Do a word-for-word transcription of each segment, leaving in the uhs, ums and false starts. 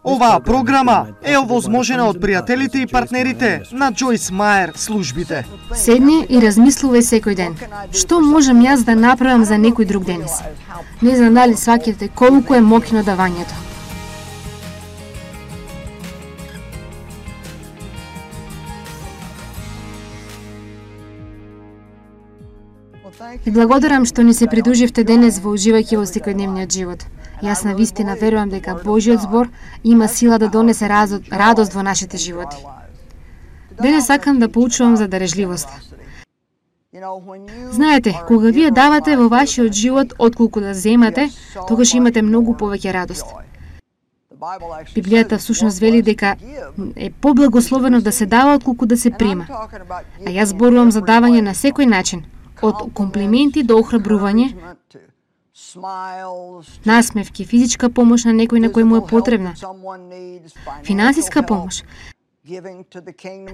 Оваа програма е овозможена од пријателите и партнерите на Джойс Мајер службите. Седни и размислувај секој ден. Што можам јас да направам за некој друг денес? Не знам дали сваќате колку е моќно давањето. И благодарам што ни се придруживте денес во уживајќи во секојдневниот живот. Јас на вистина верувам дека Божјиот збор има сила да донесе радост во нашите животи. Денес сакам да поучувам за дарежливост. Знаете, кога вие давате во вашиот живот отколку да земате, тогаш имате многу повеќе радост. Библијата всушност вели дека е поблагословено да се дава отколку да се прима. А јас зборувам за давање на секој начин, од комплименти до охрабрување, насмевки, физичка помош на некој на кој му е потребна, финансиска помош,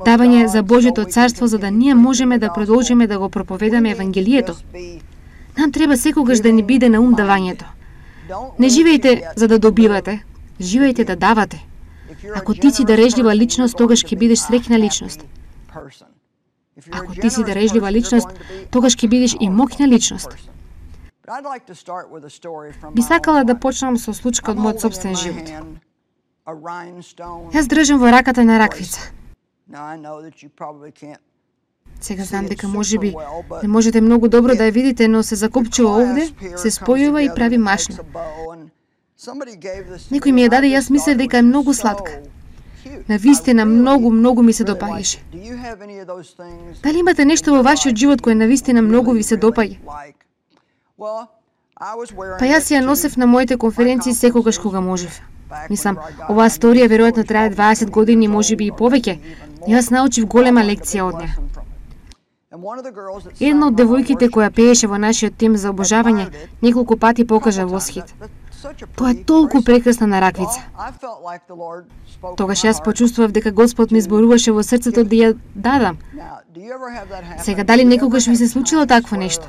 давање за Божјото царство за да ние можеме да продолжиме да го проповедаме евангелието. Нам треба секогаш да ни биде на ум давањето. Не живејте за да добивате, живејте да давате. Ако ти си дарежлива личност, тогаш ќе бидеш среќна личност. Ако ти си дарежлива личност, тогаш ќе бидеш и моќна личност. Би сакала да почнам со случка од мојот собствен живот. Јас држам во раката на раквица. Сега знам дека можеби не можете многу добро да ја видите, но се закопчува овде, се спојува и прави машна. Некој ми ја даде, јас мислев дека е многу сладка. Навистина многу, многу ми се допаѓаше. Дали имате нешто во вашиот живот кое навистина многу ви се допаѓа? Па јас ја носев на моите конференции секогаш кога можев. Мислам, оваа сторија веројатно трае дваесет години, можеби и повеќе. Јас научив голема лекција од неа. Една од девојките која пееше во нашиот тим за обожавање неколку пати покажа восхит. Тоа е толку прекрасна на раквица. Тогаш јас почувствував дека Господ ми зборуваше во срцето да ја дадам. Сега, дали некогаш ви се случило такво нешто?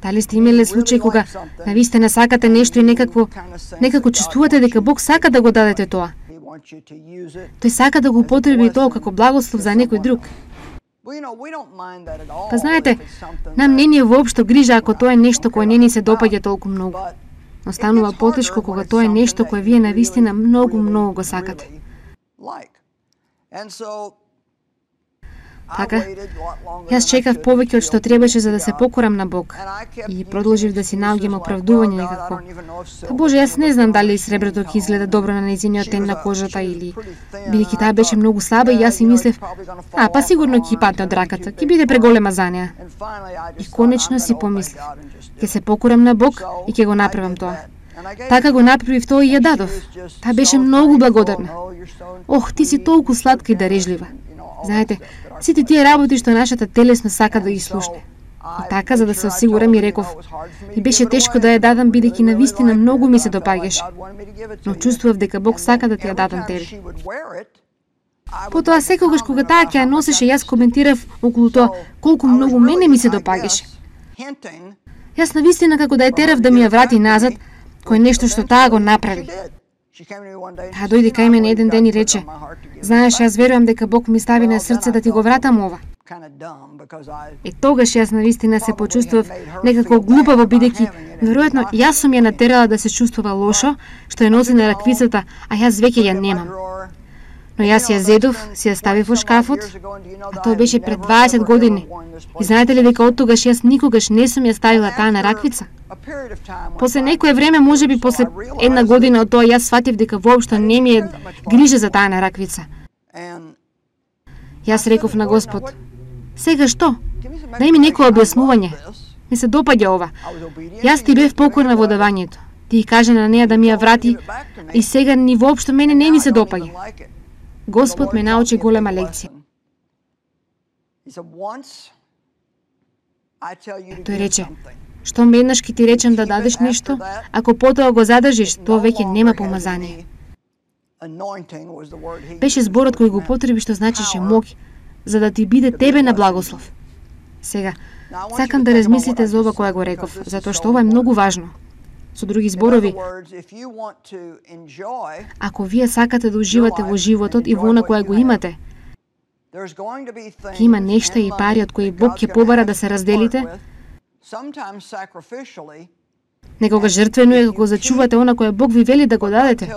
Дали сте имеле случај кога навистина сакате нешто и некакво, некако чувствувате дека Бог сака да го дадете тоа? Тој сака да го употреби тоа како благослов за некој друг. Па знаете, нам не ни е воопшто грижа ако тоа е нешто кое не ни се допаѓа толку многу. Но станува потешко кога тоа е нешто кое вие навистина многу, многу го сакате. Така, јас чекав повеќе од што требаше за да се покорам на Бог и продолжив да си наоѓам оправдување некако. Па Боже, јас не знам дали среброто ќе изгледа добро на нејзиниот тен на кожата или бидејќи таа беше многу слаба и јас си мислев, а па сигурно ќе падне од раката, ќе биде преголема за неа. И конечно си помислив, ќе се покорам на Бог и ќе го направам тоа. Така го направив тоа и ја дадов. Таа беше многу благодарна. Ох, ти си толку сладка и дарежлива. Знаете, сите тие работи што нашата телесно сака да ги слушне. И така, за да се осигурам, и реков, и беше тешко да ја дадам, бидејќи навистина многу ми се допаѓаше. Но чувствував дека Бог сака да ти ја дадам тебе. Потоа, секогаш кога таа ќе ја носеше, јас коментирав околу тоа колку многу мене ми се допаѓаше. Јас навистина како да ја терав да ми ја врати назад, кој нешто што таа го направи. Таа дојде кај мене еден ден и рече, знаеш, јас верувам дека Бог ми стави на срце да ти го вратам ова. И тогаш јас навистина се почувствував некако глупаво, бидејќи веројатно јас сум ја натерала да се чувствува лошо, што ја носи на раквицата, а јас веќе ја немам. Но јас ја зедов, си ја ставив во шкафот, а тоа беше пред дваесет години. И знаете ли дека од тогаш јас никогаш не сум ја ставила таа на раквица? После некое време, можеби после една година од тоа, јас сватив дека воопшто не ми е грижа за таа на раквица. Јас реков на Господ, сега што? Дај ми некој објаснување. Ми се допаѓа ова. Јас ти бев покорна во давањето. Ти кажа на неа да ми ја врати и сега ни воопшто мене не ми се допаѓа. Господ ме научи голема лекција. Тој рече, што еднаш ќе ти речем да дадеш нешто, ако потоа го задржиш, тоа веќе нема помазание. Беше зборот кој го потреби, што значеше моќ, за да ти биде тебе на благослов. Сега, сакам да размислите за ова која го реков, затоа што ова е многу важно. Со други зборови, ако вие сакате да уживате во животот и во она која го имате, ќе има нешта и пари од кои Бог ќе побара да се разделите, некогаш жртвено е кога зачувате она кое Бог ви вели да го дадете.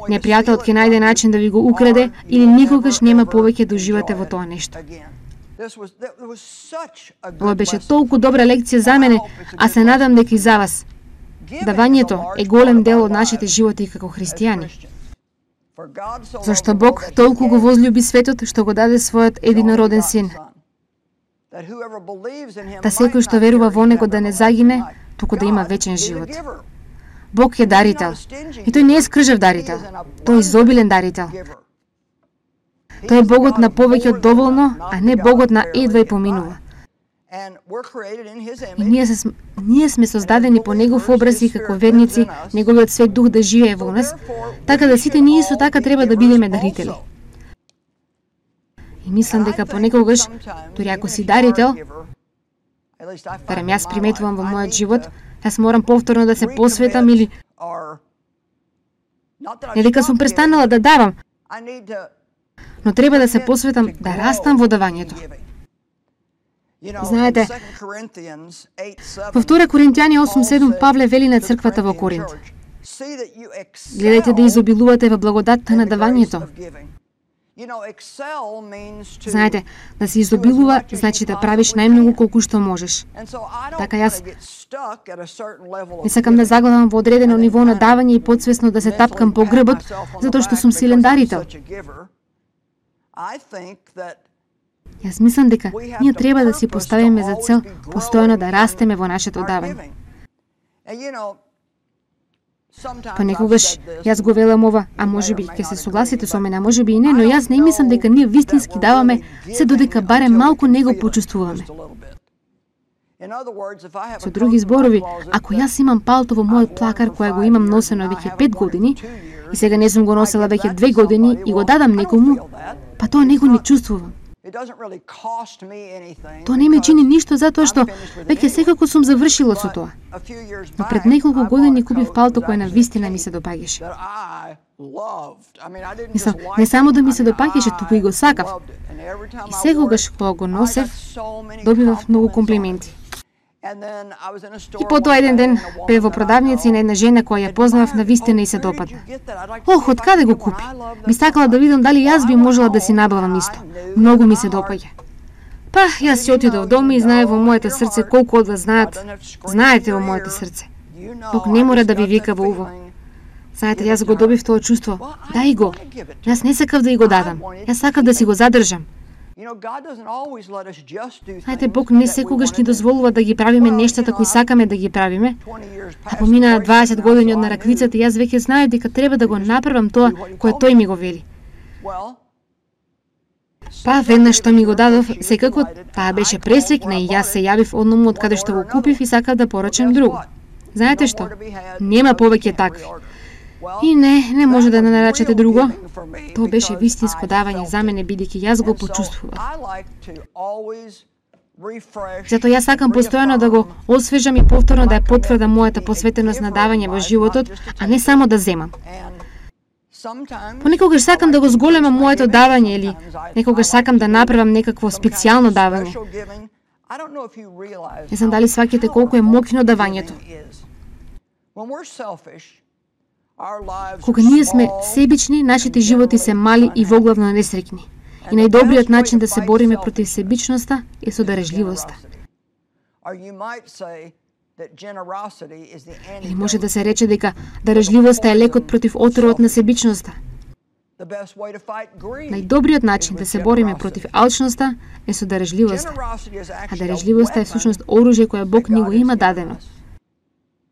Непријателот ќе најде начин да ви го украде или никогаш нема повеќе да уживате во тоа нешто. Ова беше толку добра лекција за мене, а се надам дека и за вас. Давањето е голем дел од нашите животи како христијани. Зашто Бог толку го возлюби светот што го даде својот единороден син. Да секој што верува во него да не загине, туку да има вечен живот. Бог е дарител. И тој не е скржав дарител. Тој е изобилен дарител. Тој е Богот на повеќе од доволно, а не Богот на едва и поминува. И ние, се, ние сме создадени по Негов образ и како верници, Неговиот свет дух да живее во нас, така да сите ние со така треба да бидеме дарители. И мислам дека понекогаш, дури ако си дарител, барем јас приметувам во мојот живот, јас морам повторно да се посветам или не дека сум престанала да давам, но треба да се посветам да растам во давањето. Знаете, во втора Коринтијани осум седум Павле вели на црквата во Коринт: гледајте да изобилувате во благодатта на давањето. Знаете, да се изобилува значи да правиш најмногу колку што можеш. Така јас не сакам да заглавам во одредено ниво на давање и подсвесно да се тапкам по грбот, затоа што сум силен дарител. Јас мислам дека ние треба да си поставиме за цел постојано да растеме во нашето давање. Понекогаш јас го велам ова, а можеби ќе се согласите со мене, а можеби и не, но јас не мислам дека ние вистински даваме се додека барем малку не го почувствуваме. Со други зборови, ако јас имам палто во мојот плакар која го имам носено веќе пет години и сега не сум го носела веќе две години и го дадам некому, па тоа не го не чувствувам. Тоа не ме чини ништо затоа што веќе секако сум завршила со тоа. Но пред неколку години купив палто кое на вистина ми се допаѓаше. Мислам, не само да ми се допаѓаше, туку и го сакав. И секогаш кога го носев, добивав многу комплименти. И потоа еден ден бев во продавница и на една жена која ја познавав на вистина и се допадна. Ох, од каде го купи? Би сакала да видам дали јас би можела да си набавам исто. Многу ми се допаѓа. Па, јас си отидов дома и знае во моето срце колку од вас знаат. Знаете во моето срце. Бог не мора да ви вика во уво. Знаете, јас го добив тоа чувство. Дај го. Јас не сакав да и го дадам. Јас сакав да си го задржам. Знаете, Бог не секогаш ни дозволува да ги правиме нештата кои сакаме да ги правиме. А поминаа дваесет години од нараквицата, јас веќе знаев дека треба да го направам тоа кое тој ми го вели. Па веднаш што ми го дадов, секако таа беше пресекна и јас се јавив одному од каде што го купив и сакав да порачам друго. Знаете што? Нема повеќе такви. И не, не може да не наречете друго. Тоа беше вистинско давање за мене, бидејќи јас го почувствував. Затоа јас сакам постојано да го освежам и повторно да ја потврдам мојата посветеност на давање во животот, а не само да земам. Понекогаш сакам да го зголемам моето давање или некогаш сакам да направам некакво специјално давање. Не знам дали сваќате колку е моќно давањето. Кога ние сме себични, нашите животи се мали и воглавно несреќни. И најдобриот начин да се бориме против себичноста е со дарежливоста. Или може да се рече дека дарежливоста е лекот против отровот на себичноста. Најдобриот начин да се бориме против алчноста е со дарежливоста. А дарежливоста е всушност оружје кое Бог ни го има дадено.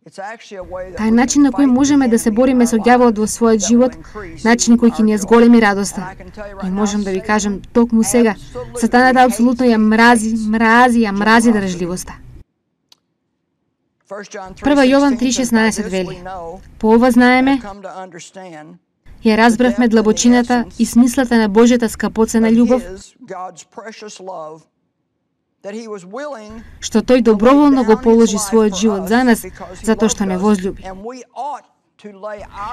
Тај начин на кој можеме да се бориме со ѓаволот во својот живот, начин кој ќе ни ја зголеми радоста. И можам да ви кажам токму сега, сатаната апсолутно ја мрази, мрази, ја мрази дарежливоста. Прва Јован три шеснаесет вели: по ова знаеме, ја разбравме длабочината и смислата на Божјата скапоцена љубов, што тој доброволно го положи својот живот за нас, затоа што не возлюби.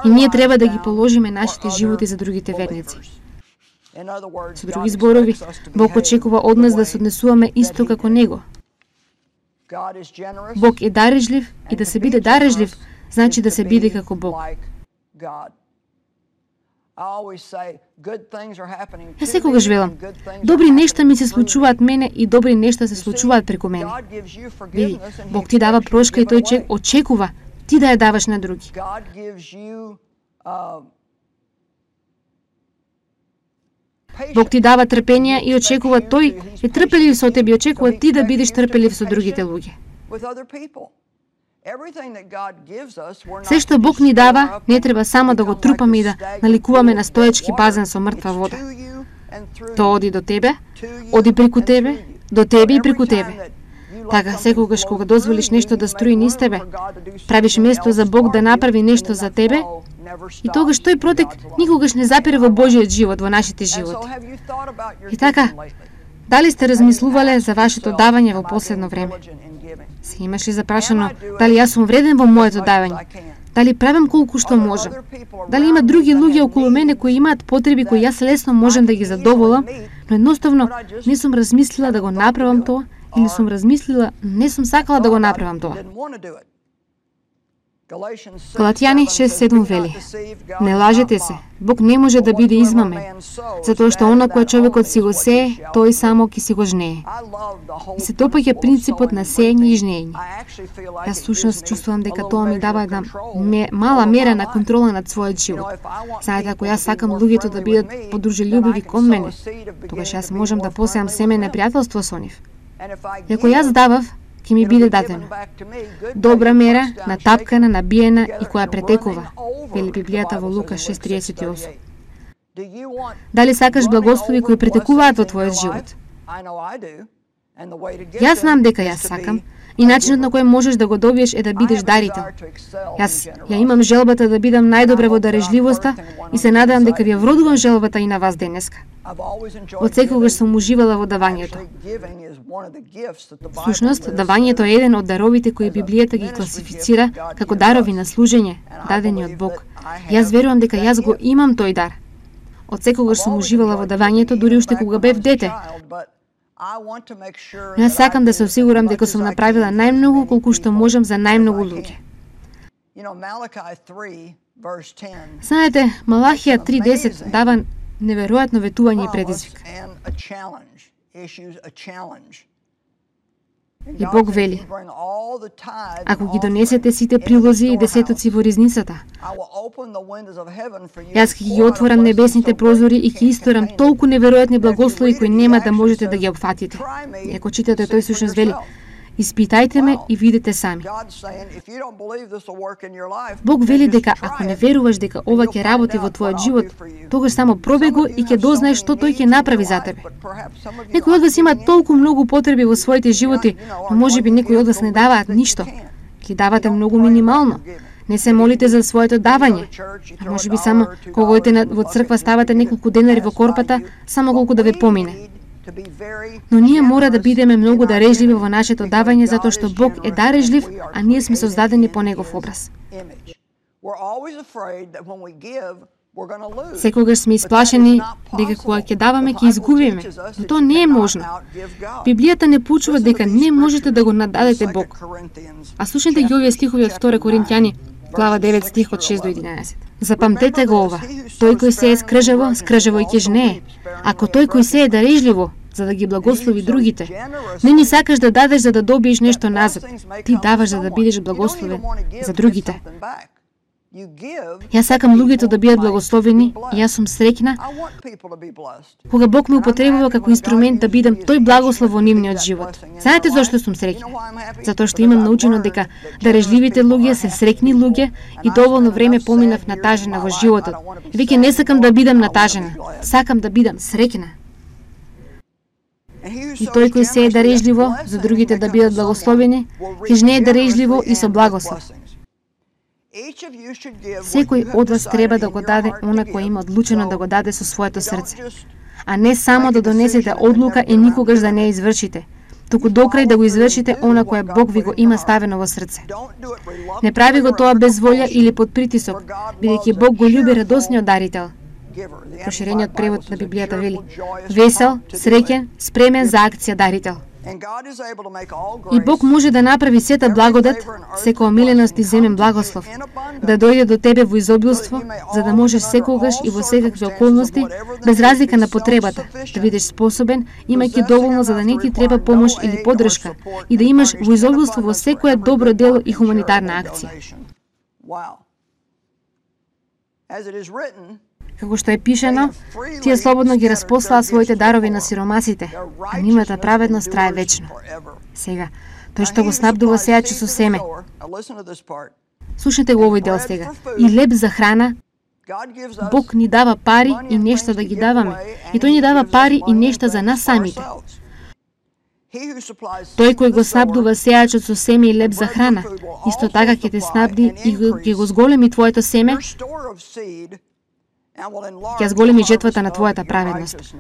И ние треба да ги положиме нашите животи за другите верници. Со други зборови, Бог очекува од нас да се однесуваме исто како Него. Бог е дарежлив и да се биде дарежлив, значи да се биде како Бог. Ја секогаш велам, добри нешта ми се случуваат мене и добри нешта се случуваат преку мене. Види, Бог ти дава прошка и тој очекува ти да ја даваш на други. Бог ти дава трпение и очекува тој е трпелив со тебе и очекува ти да бидеш трпелив со другите луѓе. Се што Бог ни дава, не треба само да го трупаме и да наликуваме на стоечки базен со мртва вода. Тоа оди до тебе, оди преку тебе, до тебе и преку тебе. Така, секогаш кога дозволиш нешто да струи низ тебе, правиш место за Бог да направи нешто за тебе, и тогаш тој протек никогаш не запире во Божиот живот, во нашите животи. И така, дали сте размислувале за вашето давање во последно време? Се имаш ли запрашано дали јас сум вреден во моето давање? Дали правам колку што можам? Дали има други луѓе околу мене кои имаат потреби кои јас лесно можам да ги задоволам, но едноставно не сум размислила да го направам тоа, или сум размислила, не сум сакала да го направам тоа. Галатјани шест седум вели: не лажете се, Бог не може да биде измамен, затоа што она кое човекот си го сее, тој само ќе си го жнее. И се допаѓа принципот на сеење и жнеење. Јас сушност чувствувам дека тоа ми дава една мала мера на контрола над својот живот. Знаете, ако јас сакам луѓето да бидат подружелюбиви кон мене, тогаш јас можам да посеам семе на пријателство со нив. И ако јас давав, ќе ми биде дадено. Добра мера, натапкана, набиена и која претекува, вели Библијата во Лука шест триесет и осум. Дали сакаш благослови кои претекуваат во твојот живот? Јас знам дека јас сакам, и начинот на кој можеш да го добиеш е да бидеш дарител. Јас ја имам желбата да бидам најдобра во дарежливоста и се надевам дека ви ја вродувам желбата и на вас денеска. Од секогаш сум уживала во давањето. Всушност, давањето е еден од даровите кои Библијата ги класифицира како дарови на служење, дадени од Бог. Јас верувам дека јас го имам тој дар. Од секогаш сум уживала во давањето, дури уште кога бев дете. Јас сакам да се осигурам дека сум направила најмногу колку што можам за најмногу луѓе. Знаете, Малахија три десет дава неверојатно ветување и предизвик. И Бог вели: ако ги донесете сите прилози и десетоци во ризницата, јас ќе ги отворам небесните прозори и ќе исторам толку неверојатни благослови кои нема да можете да ги опфатите. И ако читате, тој всушност вели: испитајте ме и видите сами. Бог вели дека ако не веруваш дека ова ќе работи во твојот живот, тогаш само пробај го и ќе дознаеш што тој ќе направи за тебе. Некои од вас имаат толку многу потреби во своите животи, но можеби некои од вас не даваат ништо. Ги давате многу минимално. Не се молите за своето давање. А можеби само кога одите во црква ставате неколку денари во корпата, само колку да ве помине. Но ние мора да бидеме многу дарежливи во нашето давање, затоа што Бог е дарежлив, а ние сме создадени по Негов образ. Секогаш сме исплашени дека кога ќе даваме ќе изгубиме, но тоа не е можно. Библијата не поучува дека не можете да го нададете Бог. А слушнете ги овие стихови од втора Коринќани, глава девет, стих од шест до единаесет. Запамтете го ова: тој кој сее скржаво, скржаво и ќе жнее. Ако тој кој сее дарежливо, за да ги благослови другите, не ни сакаш да дадеш за да добиеш нешто назад, ти даваш за да бидеш благословен за другите. Јас сакам луѓето да бидат благословени и јас сум среќна кога Бог ме употребува како инструмент да бидам тој благослов во нивниот живот. Знаете зошто сум среќна? Затоа што имам научено дека дарежливите луѓе се среќни луѓе и доволно време поминав натажена во животот. Веќе не сакам да бидам натажена, сакам да бидам среќна. И тој кој сее дарежливо за другите да бидат благословени, ќе жнее дарежливо и со благослов. Секој од вас треба да го даде она кој има одлучено да го даде со своето срце, а не само да донесете одлука и никогаш да не ја извршите. туку до крај да го извршите она кое Бог ви го има ставено во срце. Не прави го тоа без волја или под притисок, бидејќи Бог го љуби радосниот дарител. Проширениот превод на Библијата вели: весел, среќен, спремен за акција дарител. И Бог може да направи сета благодат, секоја омиленост и земен благослов, да дојде до тебе во изобилство, за да можеш секогаш и во секакви околности, без разлика на потребата, да бидеш способен, имајќи доволно за да не ти треба помош или поддршка, и да имаш во изобилство во секое добро дело и хуманитарна акција. Како што е пишено, тие слободно ги распослаа своите дарови на сиромасите, а нивната праведност трае вечно. Сега, тој што го снабдува сејачот со семе. Слушнете го овој дел сега. И леп за храна, Бог ни дава пари и нешта да ги даваме. И тој ни дава пари и нешта за нас самите. Тој кој го снабдува сејачот со семе и леп за храна, исто така ќе те снабди и ќе го зголеми твоето семе, ќе зголеми жетвата на твојата праведност.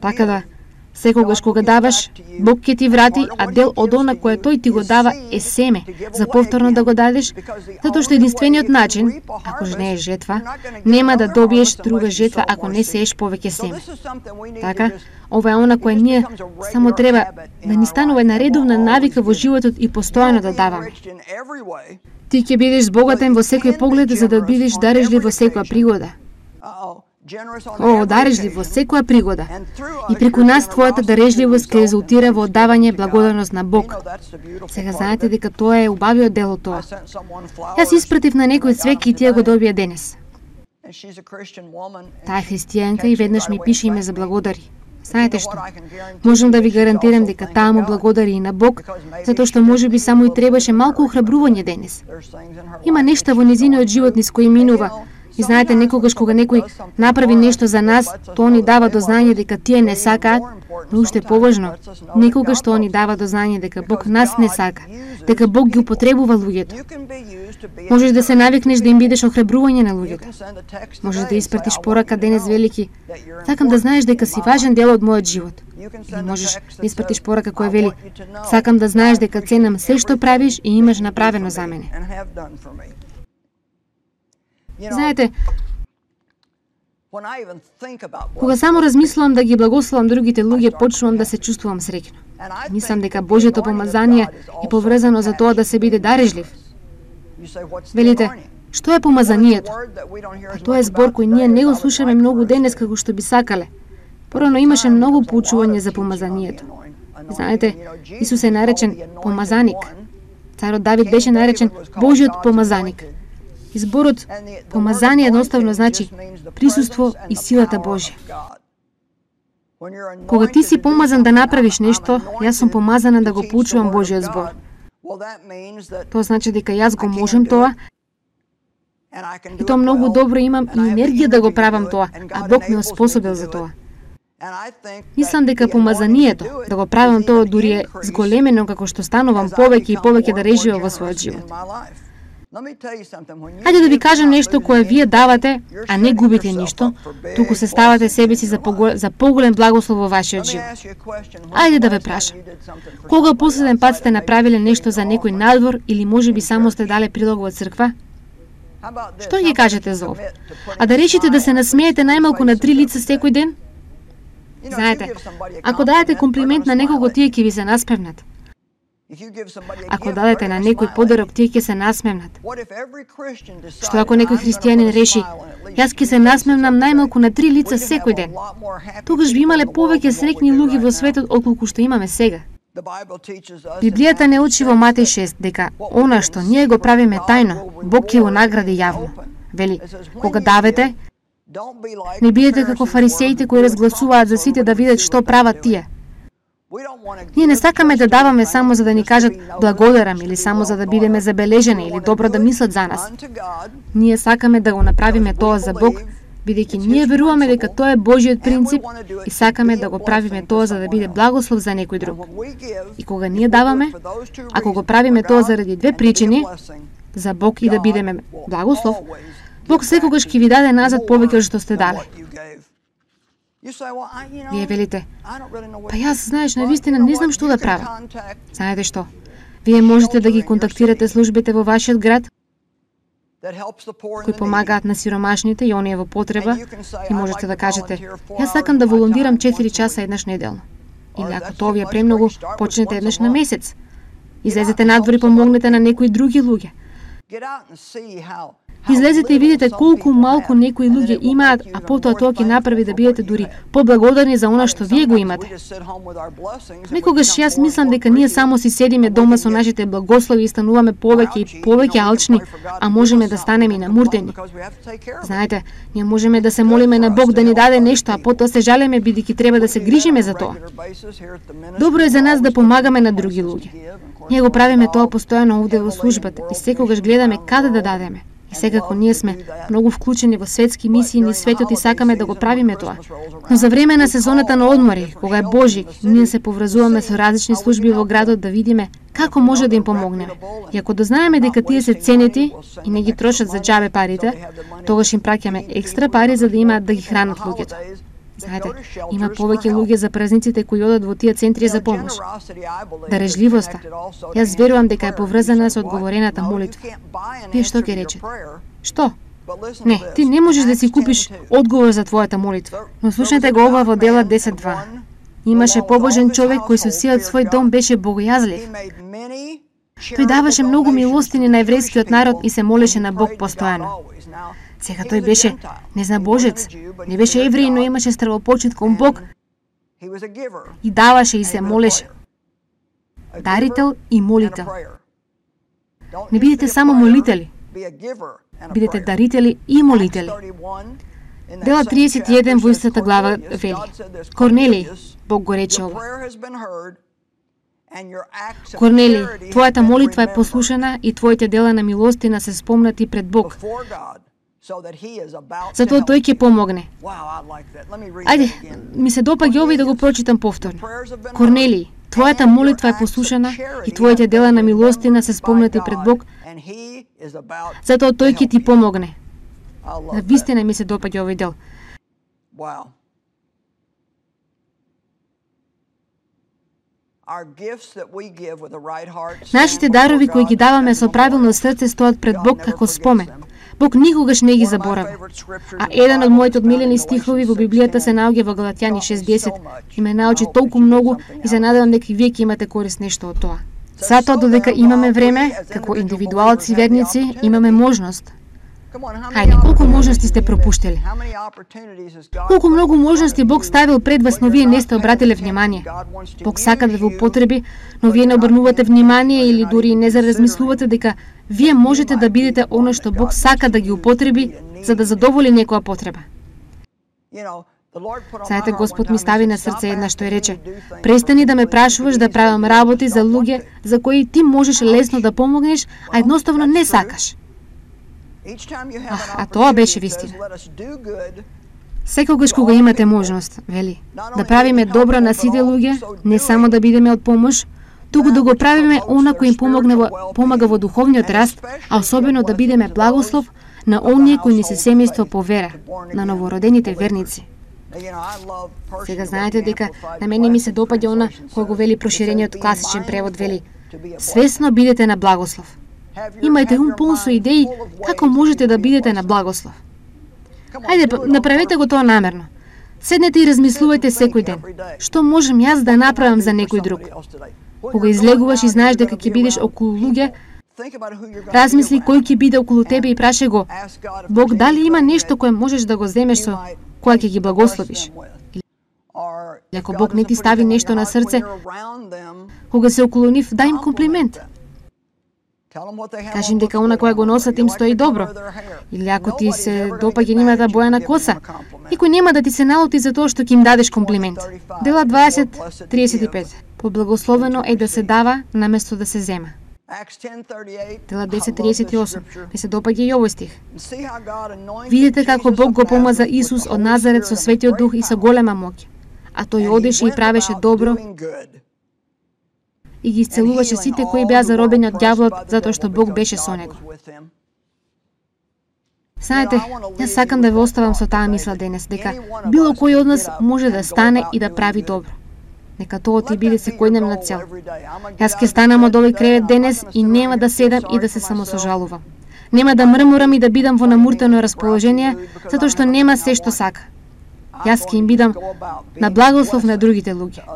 Така да, секогаш кога даваш, Бог ќе ти врати, а дел од она кое тој ти го дава е семе, за повторно да го дадеш, затоа што единствениот начин, ако жнееш жетва, нема да добиеш друга жетва ако не сееш повеќе семе. Така, ова е она кое ние само треба да ни станува една редовна навика во животот и постојано да даваме. Ти ќе бидеш збогатен во секој поглед за да бидеш дарежлив во секоја пригода. О, дарежлив во секоја пригода. И преку нас твојата дарежливост ќе резултира во оддавање благодарност на Бог. Сега знаете дека тоа е убавиот дел од тоа. Јас испратив на некој цвеќе и тие го добија денес. Таа е христијанка и веднаш ми пише и ме заблагодари. Знаете што? Можам да ви гарантирам дека таа му благодари и на Бог, затоа што можеби само и требаше малку охрабрување денес. Има нешта во незиниот живот низ кои минува. И знаете, некогаш кога некој направи нешто за нас, тоа ни дава до знање дека тие не сакаат, но уште поважно, некогаш тоа ни дава до знање дека Бог нас не сака, дека Бог ги употребува луѓето. Можеш да се навикнеш да им бидеш охрабрување на луѓето. Можеш да испратиш порака денес велики: сакам да знаеш дека си важен дел од мојот живот. Или можеш да испратиш порака која вели: сакам да знаеш дека ценам се што правиш и имаш направено за мене. Знаете, кога само размислувам да ги благословам другите луѓе, почнувам да се чувствувам среќно. Мислам дека Божјото помазание е поврзано за тоа да се биде дарежлив. Велите, што е помазанието? А тоа е збор кој ние не го слушаме многу денес како што би сакале. Порано имаше многу поучување за помазанието. Знаете, Исус е наречен помазаник. Царот Давид беше наречен Божјиот помазаник. Изборот помазание едноставно значи присуство и силата Божја. Кога ти си помазан да направиш нешто, јас сум помазана да го поучувам Божјиот збор. Тоа значи дека јас го можам тоа, и тоа многу добро имам и енергија да го правам тоа, а Бог ме оспособил за тоа. Мислам дека помазанието да го правам тоа дури е зголемено како што станувам повеќе и повеќе да реживам во својот живот. Хајде да ви кажам нешто кое вие давате, а не губите ништо, туку се ставате себе си за, погол... за поголем благослов во вашиот живот. Ајде да ве прашам. Кога последен пат сте направиле нешто за некој надвор или можеби само сте дале прилог во црква? Што ги кажете за ова? А да решите да се насмеете најмалку на три лица секој ден? Знаете, ако дадете комплимент на некого, тие ќе ви се насмевнат. Ако дадете на некој подарок, тие ќе се насмевнат. Што ако некој христијанин реши: јас ќе се насмевнам најмалку на три лица секој ден? Тогаш би имале повеќе среќни луѓе во светот отколку што имаме сега. Библијата не учи во Матеј шест дека она што ние го правиме тајно, Бог ќе го награди јавно. Вели: кога давате, не бидете како фарисеите кои разгласуваат за сите да видат што прават тие. Ние не сакаме да даваме само за да ни кажат благодарам или само за да бидеме забележени или добро да мислат за нас. Ние сакаме да го направиме тоа за Бог, бидејќи ние веруваме дека тоа е Божјиот принцип и сакаме да го правиме тоа за да биде благослов за некој друг. И кога ние даваме, ако го правиме тоа заради две причини, за Бог и да бидеме благослов, Бог секогаш ќе ви даде назад повеќе од што сте дале. Вие велите, па јас, знаеш, навистина не знам што да правам. Знаете што? Вие можете да ги контактирате службите во вашиот град, кои помагаат на сиромашните и оние во потреба, и можете да кажете, јас сакам да волонтирам четири часа еднаш неделно. Или ако тоа ви е премногу, почнете еднаш на месец. Излезете надвор и помогнете на некои други луѓе. Излезете и видите колку малку некои луѓе имаат, а потоа тоа ќе направи да бидете дури поблагодарни за она што вие го имате. Некогаш јас мислам дека ние само си седиме дома со нашите благослови и стануваме повеќе и повеќе алчни, а можеме да станеме и намуртени. Знаете, ние можеме да се молиме на Бог да ни даде нешто, а потоа се жалеме бидејќи треба да се грижиме за тоа. Добро е за нас да помагаме на други луѓе. Ние го правиме тоа постојано овде во службата и секогаш гледаме каде да дадеме. И секако ние сме многу вклучени во светски мисии низ светот и сакаме да го правиме тоа. Но за време на сезоната на одмори, кога е Божик, ние се поврзуваме со различни служби во градот да видиме како може да им помогнеме. И ако дознаеме дека тие се ценети и не ги трошат за џабе парите, тогаш им праќаме екстра пари за да имаат да ги хранат луѓето. Знаете, има повеќе луѓе за празниците кои одат во тие центри за помош. Дарежливоста, јас верувам дека е поврзана со одговорената молитва. Вие што ќе речете? Што? Не, ти не можеш да си купиш одговор за твојата молитва. Но слушнете го ова во Дела десет два. Имаше побожен човек кој со сиот свој дом беше богојазлив. Тој даваше многу милостини на еврејскиот народ и се молеше на Бог постојано. Сега тој беше незнабожец, не беше евреј, но имаше стравопочит кон Бог и даваше и се молеше. Дарител и молител. Не бидете само молители, бидете дарители и молители. Дела триесет и еден во истата глава вели: Корнелиј, Бог го рече ова. Корнелиј, твојата молитва е послушана и твоите дела на милостина се спомнати пред Бог. Затоа тој ќе помогне. Ајде, ми се допаѓа ова и да го прочитам повторно. Корнелиј, твојата молитва е послушана и твоите дела на милостина се спомнати пред Бог. Затоа тој ќе ти помогне. На вистина ми се допаѓа овој дел. Нашите дарови кои ги даваме со правилно срце стоат пред Бог како спомен. Бог никогаш не ги заборави. А еден од моите одмилени стихови во Библијата се наоѓа во Галатјани шест десет и ме научи толку многу и се надевам дека и вие ќе имате корист нешто од тоа. Затоа додека имаме време, како индивидуалци верници, имаме можност. Хајде, колку можности сте пропуштили? Колку многу можности Бог ставил пред вас, но вие не сте обратиле внимание. Бог сака да ве употреби, но вие не обрнувате внимание или дури не заразмислувате дека вие можете да бидете оно што Бог сака да ги употреби за да задоволи некоја потреба. Знаете, Господ ми стави на срце една што е рече: престани да ме прашуваш да правам работи за луѓе за кои ти можеш лесно да помогнеш, а едноставно не сакаш. А, а тоа беше вистина. Секогаш кога имате можност, вели, да правиме добро на сите луѓе, не само да бидеме од помош, туку да го правиме она кој им помогне во, помага во духовниот раст, а особено да бидеме благослов на оние кои не се семејство по вера, на новородените верници. Сега знаете дека на мене ми се допаѓа она кој го вели проширениот класичен превод, вели: свесно бидете на благослов. Имајте ум полн со идеи како можете да бидете на благослов. Хајде, направете го тоа намерно. Седнете и размислувајте секој ден. Што можам јас да направам за некој друг? Кога излегуваш и знаеш дека ќе бидеш околу луѓе, размисли кој ќе биде околу тебе и прашај го: Бог, дали има нешто кое можеш да го земеш со кое ќе ги благословиш? Или ако Бог не ти стави нешто на срце, кога се околу нив, дај им комплимент. Кажи им дека она која го носат им стои добро. Или ако ти се допаѓа нивната боја на коса, никој нема да ти се налути за тоа што ќе им дадеш комплимент. Дела дваесет триесет и пет. Поблагословено е да се дава наместо да се зема. Дела десет триесет и осум. Ми се допаѓа и овој стих. Видете како Бог го помаза Исус од Назарет со Светиот Дух и со голема моќ. А тој одеше и правеше добро и ги исцелуваше сите кои беа заробени од ѓаволот, затоа што Бог беше со него. Знаете, јас сакам да ве оставам со таа мисла денес, дека било кој од нас може да стане и да прави добро. Нека тоа ти биде секојдневна цел. Јас ќе станам од овој кревет денес и нема да седам и да се самосожалувам. Нема да мрмурам и да бидам во намуртено расположение, затоа што нема се што сака. Јас ќе им бидам на благослов на другите луѓе.